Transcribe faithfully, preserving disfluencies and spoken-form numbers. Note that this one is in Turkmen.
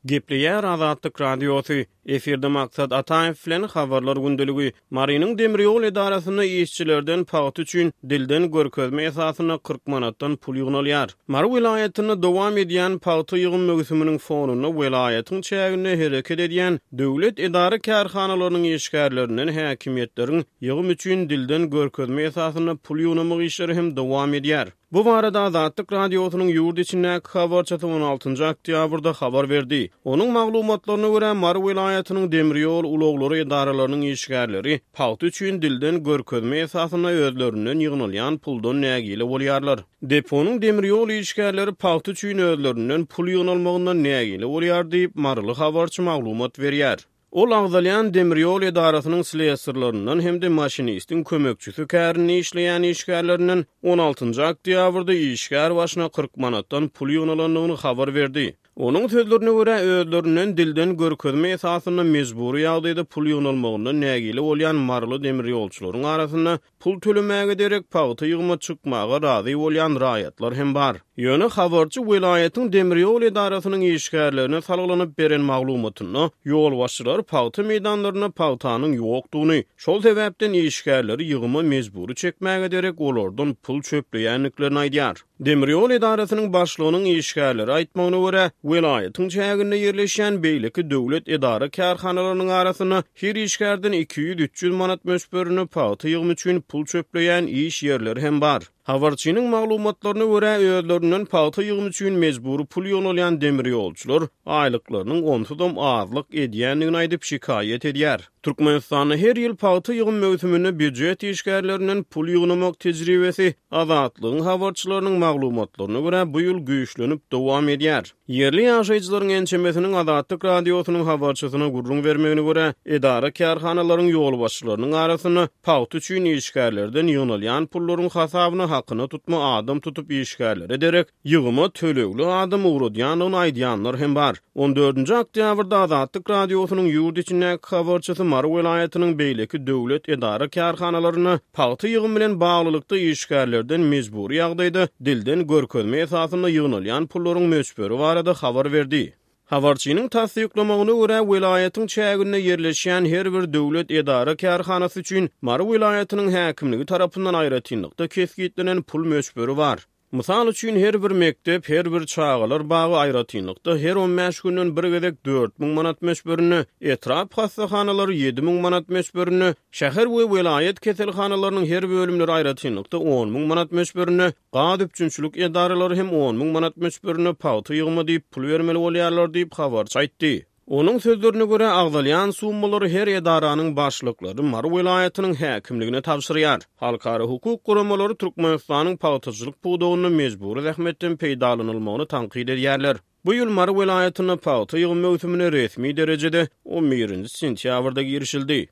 Gepleýär Azatlyk Radiosy. Efirde Maksat Ataýew bilen Habarlar gündeligi. Marynyň demir ýol edarasynda işçilerden pagta üçin dilden görkezme esasynda kyrk manatdan pul ýygnalýar. Mary welaýatynda dowam edýän pagta ýygym möwsüminiň fonunda welaýatyň çäginde hereket edýän döwlet edara-kärhanalarynyň işgärlerinden häkimiýetleriň ýygym üçin dilden görkezme esasynda pul ýygnamak işleri hem dowam edýär. Bu barada Azatlyk Radiosynyň ýurt içindäki habarçysy on altynjy oktýabrda habar berdi. Onuň maglumatlaryna görä, Mary welaýatynyň demir ýol ulaglary edaralarynyň işgärleri pagta üçin dilden görkezme esasynda özlerinden ýygnalýan puldan nägile bolýarlar. Deponyň demir ýol işgärleri pagta üçin özlerinden pul ýygnalmagyndan nägile bolýar diýip, maryly habarçy maglumat berýär. Ol agzalýan demir ýol edarasynyň slesarlaryndan hem-de maşinistiň kömekçisi kärinde işleýän işgärlerinden on altynjy oktýabrda işgär başyna kyrk manatdan pul ýygnalandygyny habar berdi. Onuň sözlerine görä, özlerinden dilden görkezme esasynda mejbury ýagdaýda pul ýygnalmagyndan nägile bolýan maryly demir ýolçularyň arasynda pul tölemäge derek pagta ýygyma çykmaga razy bolýan raýatlar hem bar. Ýöne habarçy welaýatyň demir ýol edarasynyň işgärlerine salgylanyp beren maglumatynda ýolbaşçylar pagta meýdanlarynda pagtanyň ýokdugyny, şol sebäpden işgärleri ýygyma mejbury çekmäge derek olardan pul çöpleýändiklerini aýdýar. Demir ýol edarasynyň başlygynyň işgärleri aýtmagyna görä, welaýatyň çäginde ýerleşýän beýleki döwlet edara kärhanalarynyň arasynda her işgärden iki ýüz üç ýüz manat möçberinde pagta ýygymy üçin pul çöpleýän iş ýerleri hem bar. Habarçynyň maglumatlaryna görä, özlerinden pagta ýygymy üçin mejbury pul ýygnalýan demir ýolçular aýlyklarynyň onsuzam azlyk edýändigini aýdyp şikaýat edýär. Türkmenistanda her ýyl pagta ýygym möwsüminde býujet işgärlerinden pul ýygnamak tejribesi Azatlygyň habarçylarynyň maglumatlaryna görä bu ýyl güýçlenip dowam edýär. Ýerli ýaşaýjylaryň ençemesiniň Azatlyk Radiosynyň habarçysyna gürrüň bermegine görä, edara kärhanalaryň ýolbaşçylarynyň arasynda pagta üçin işgärlerden ýygnalýan pullaryň hasabyna hakyna tutma adam tutup işgärlere derek ýygyma tölegli adam ugradýandygyny aýdýanlar hem bar. On dördünji oktýabrda Azatlyk Radiosynyň ýurt içindäki habarçysy Mary welaýatynyň beýleki döwlet edara kärhanalarynda pagta ýygym bilen baglylykda işgärlerden mejbury ýagdaýda dilden görkezme esasynda ýygnalýan pullaryň möçberi barada habar berdi. Habarçynyň tassyklamagyna görä, welaýatyň çäginde ýerleşýän her bir döwlet edara kärhanasy üçin Mary welaýatynyň häkimligi tarapyndan aýratynlykda kesgitlenen pul möçberi bar. Mysal üçin, her bir mekdep, her bir çagalar bagy aýratynlykda her on bäş günden bir gezek dört müň manat möçberinde, etrap hassahanalary ýedi müň manat möçberinde, şäher we welaýat keselhanalarynyň her bölümleri aýratynlykda on müň manat möçberinde, gaz üpjünçilik edaralary hem on müň manat möçberinde pagta ýygyma diýip pul bermeli bolýarlar diýip habarçy aýtdy. Onuň sözlerine görä, agzalýan summalary her edaranyň başlyklary Mary welaýatynyň häkimligine tabşyrýar. Halkara hukuk guramalary Türkmenistanyň pagtaçylyk pudagynda mejbury zähmetden peýdalanylmagyny tankyt edýärler. Bu ýyl Mary welaýatynda pagta ýygym möwsümine resmi derejede on birinji sentýabrda girişildi.